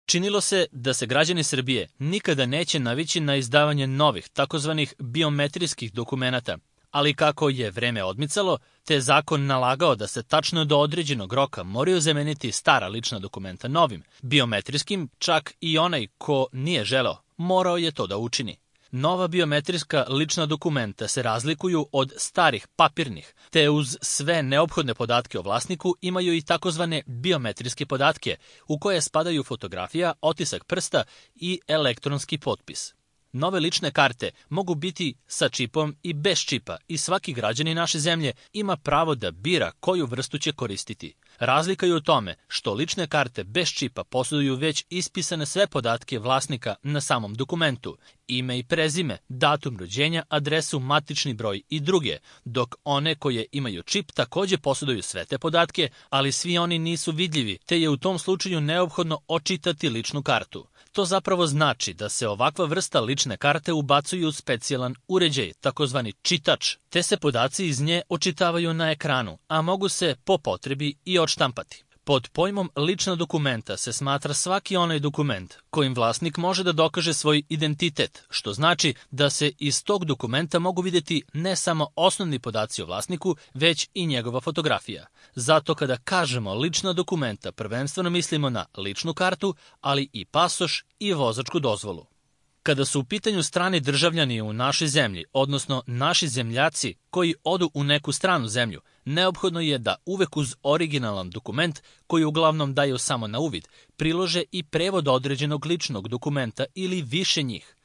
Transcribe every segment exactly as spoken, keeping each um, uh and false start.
Činilo se da se građani Srbije nikada neće navići na izdavanje novih, takozvanih biometrijskih dokumenata, ali kako je vreme odmicalo, te zakon nalagao da se tačno do određenog roka moraju zameniti stara lična dokumenta novim, biometrijskim, čak i onaj ko nije želeo, morao je to da učini. Nova biometrijska lična dokumenta se razlikuju od starih papirnih, te uz sve neophodne podatke o vlasniku imaju i takozvane biometrijske podatke, u koje spadaju fotografija, otisak prsta i elektronski potpis. Nove lične karte mogu biti sa čipom i bez čipa i svaki građanin naše zemlje ima pravo da bira koju vrstu će koristiti. Razlika je u tome što lične karte bez čipa posjeduju već ispisane sve podatke vlasnika na samom dokumentu, ime i prezime, datum rođenja, adresu, matični broj i druge, dok one koje imaju čip takođe posjeduju sve te podatke, ali svi oni nisu vidljivi, te je u tom slučaju neophodno očitati ličnu kartu. To zapravo znači da se ovakva vrsta lične karte ubacuju u specijalan uređaj, takozvani čitač, te se podaci iz nje očitavaju na ekranu, a mogu se po potrebi i odštampati. Pod pojmom lična dokumenta se smatra svaki onaj dokument kojim vlasnik može da dokaže svoj identitet, što znači da se iz tog dokumenta mogu vidjeti ne samo osnovni podaci o vlasniku, već i njegova fotografija. Zato kada kažemo lična dokumenta, prvenstveno mislimo na ličnu kartu, ali i pasoš i vozačku dozvolu. Kada su u pitanju strani državljani u našoj zemlji, odnosno naši zemljaci koji odu u neku stranu zemlju, neophodno je da uvek uz originalan dokument, koji uglavnom daju samo na uvid, prilože i prevod određenog ličnog dokumenta ili više njih.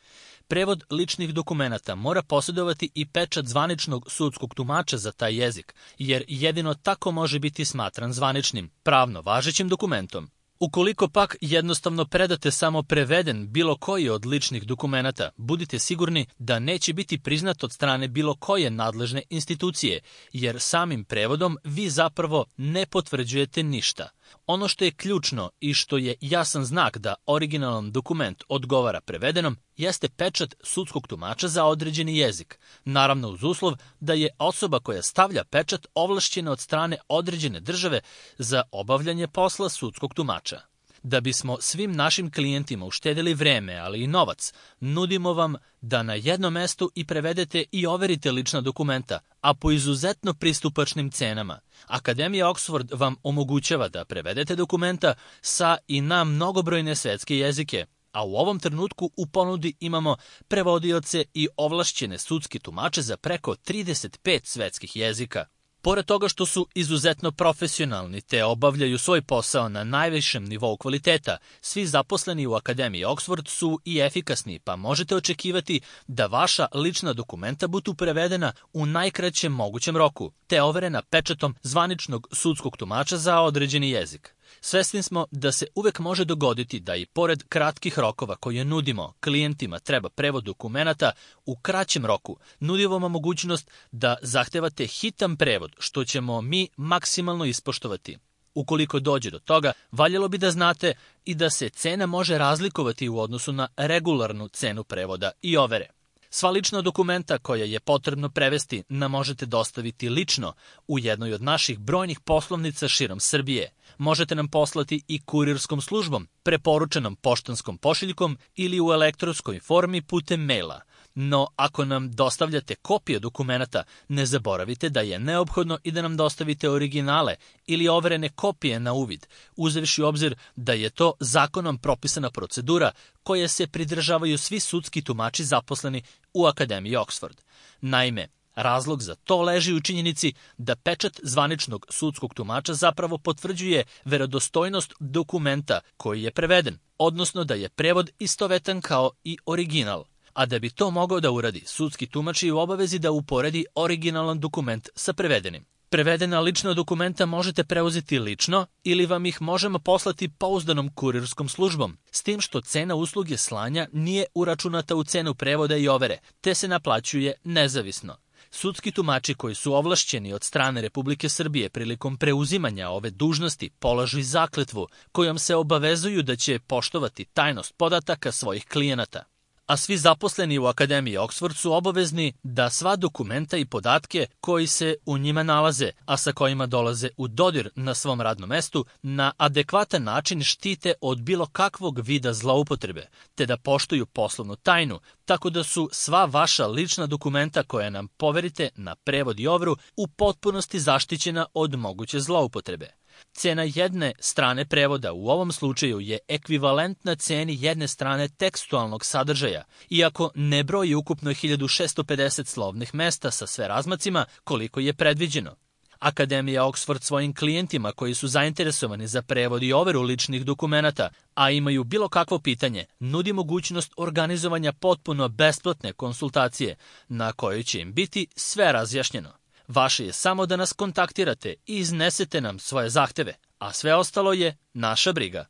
Prevod ličnih dokumenata mora posjedovati i pečat zvaničnog sudskog tumača za taj jezik, jer jedino tako može biti smatran zvaničnim, pravno važećim dokumentom. Ukoliko pak jednostavno predate samo preveden bilo koji od ličnih dokumenata, budite sigurni da neće biti priznat od strane bilo koje nadležne institucije, jer samim prevodom vi zapravo ne potvrđujete ništa. Ono što je ključno i što je jasan znak da originalan dokument odgovara prevedenom, jeste pečat sudskog tumača za određeni jezik, naravno uz uslov da je osoba koja stavlja pečat ovlašćena od strane određene države za obavljanje posla sudskog tumača. Da bismo svim našim klijentima uštedili vreme, ali i novac, nudimo vam da na jednom mestu i prevedete i overite lična dokumenta, a po izuzetno pristupačnim cenama. Akademija Oxford vam omogućava da prevedete dokumenta sa i na mnogobrojne svetske jezike, a u ovom trenutku u ponudi imamo prevodioce i ovlašćene sudske tumače za preko trideset pet svetskih jezika. Pored toga što su izuzetno profesionalni te obavljaju svoj posao na najvišem nivou kvaliteta, svi zaposleni u Akademiji Oxford su i efikasni, pa možete očekivati da vaša lična dokumenta budu prevedena u najkraćem mogućem roku, te overena pečatom zvaničnog sudskog tumača za određeni jezik. Svesni smo da se uvek može dogoditi da i pored kratkih rokova koje nudimo klijentima treba prevod dokumenata u kraćem roku, nudimo vam mogućnost da zahtevate hitan prevod, što ćemo mi maksimalno ispoštovati. Ukoliko dođe do toga, valjalo bi da znate i da se cena može razlikovati u odnosu na regularnu cenu prevoda i overe. Sva lična dokumenta koja je potrebno prevesti nam možete dostaviti lično u jednoj od naših brojnih poslovnica širom Srbije. Možete nam poslati i kurirskom službom, preporučenom poštanskom pošiljkom ili u elektronskoj formi putem maila. No, ako nam dostavljate kopije dokumenata, ne zaboravite da je neophodno i da nam dostavite originale ili overene kopije na uvid, uzevši u obzir da je to zakonom propisana procedura koje se pridržavaju svi sudski tumači zaposleni u Akademiji Oxford. Naime, razlog za to leži u činjenici da pečat zvaničnog sudskog tumača zapravo potvrđuje verodostojnost dokumenta koji je preveden, odnosno da je prevod istovetan kao i original. A da bi to mogao da uradi, sudski tumač je u obavezi da uporedi originalan dokument sa prevedenim. Prevedena lična dokumenta možete preuzeti lično ili vam ih možemo poslati pouzdanom kurirskom službom, s tim što cena usluge slanja nije uračunata u cenu prevoda i overe, te se naplaćuje nezavisno. Sudski tumači koji su ovlašćeni od strane Republike Srbije prilikom preuzimanja ove dužnosti polažu i zakletvu kojom se obavezuju da će poštovati tajnost podataka svojih klijenata. A svi zaposleni u Akademiji Oxford su obavezni da sva dokumenta i podatke koji se u njima nalaze, a sa kojima dolaze u dodir na svom radnom mestu, na adekvatan način štite od bilo kakvog vida zloupotrebe, te da poštuju poslovnu tajnu, tako da su sva vaša lična dokumenta koje nam poverite na prevod i overu u potpunosti zaštićena od moguće zloupotrebe. Cena jedne strane prevoda u ovom slučaju je ekvivalentna ceni jedne strane tekstualnog sadržaja, iako ne broji ukupno hiljadu šesto pedeset slovnih mesta sa sve razmacima koliko je predviđeno. Akademija Oxford svojim klijentima koji su zainteresovani za prevod i overu ličnih dokumenata, a imaju bilo kakvo pitanje, nudi mogućnost organizovanja potpuno besplatne konsultacije na kojoj će im biti sve razjašnjeno. Vaše je samo da nas kontaktirate i iznesete nam svoje zahteve, a sve ostalo je naša briga.